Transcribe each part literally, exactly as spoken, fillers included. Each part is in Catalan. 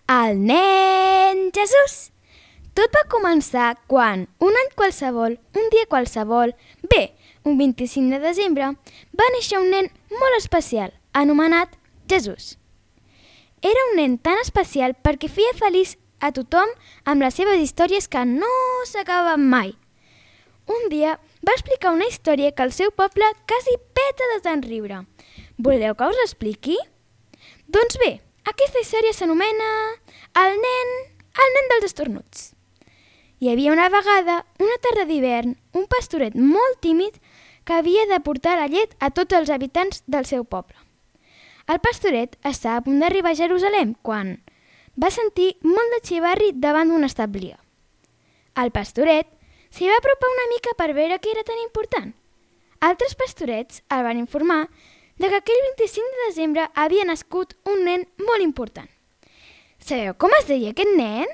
El nen Jesús. Tot va començar quan, un any qualsevol, un dia qualsevol, bé, un vint-i-cinc de desembre, va néixer un nen molt especial, anomenat Jesús. Era un nen tan especial perquè feia feliç a tothom amb les seves històries que no s'acabaven mai. Un dia va explicar una història que el seu poble quasi peta de tant riure. Voleu que us l'expliqui? Doncs bé, aquesta història s'anomena El nen, el nen dels estornuts. Hi havia una vegada, una tarda d'hivern, un pastoret molt tímid que havia de portar la llet a tots els habitants del seu poble. El pastoret estava a punt d'arribar a Jerusalem quan va sentir molt de xivarri davant d'un establia. El pastoret s'hi va apropar una mica per veure què era tan important. Altres pastorets el van informar de que aquell vint-i-cinc de desembre havia nascut un nen molt important. Sabeu com es deia aquest nen?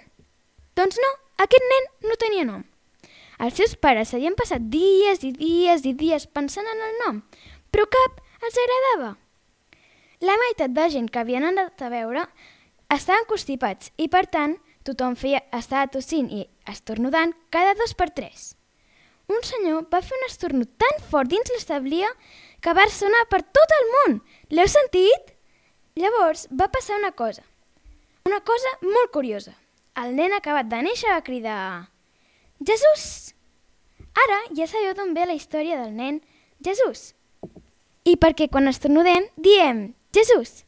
Doncs no, aquest nen no tenia nom. Els seus pares s'havien passat dies i dies i dies pensant en el nom, però cap els agradava. La meitat de gent que havien anat a veure estaven constipats i, per tant, tothom feia, estava tossint i estornudant cada dos per tres. Un senyor va fer un estornut tan fort dins l'establia que va sonar per tot el món. L'heu sentit? Llavors va passar una cosa. Una cosa molt curiosa. El nen acabat de néixer va cridar Jesús! Ara ja sabeu d'on ve la història del nen Jesús. I perquè quan estornudem diem Jesús.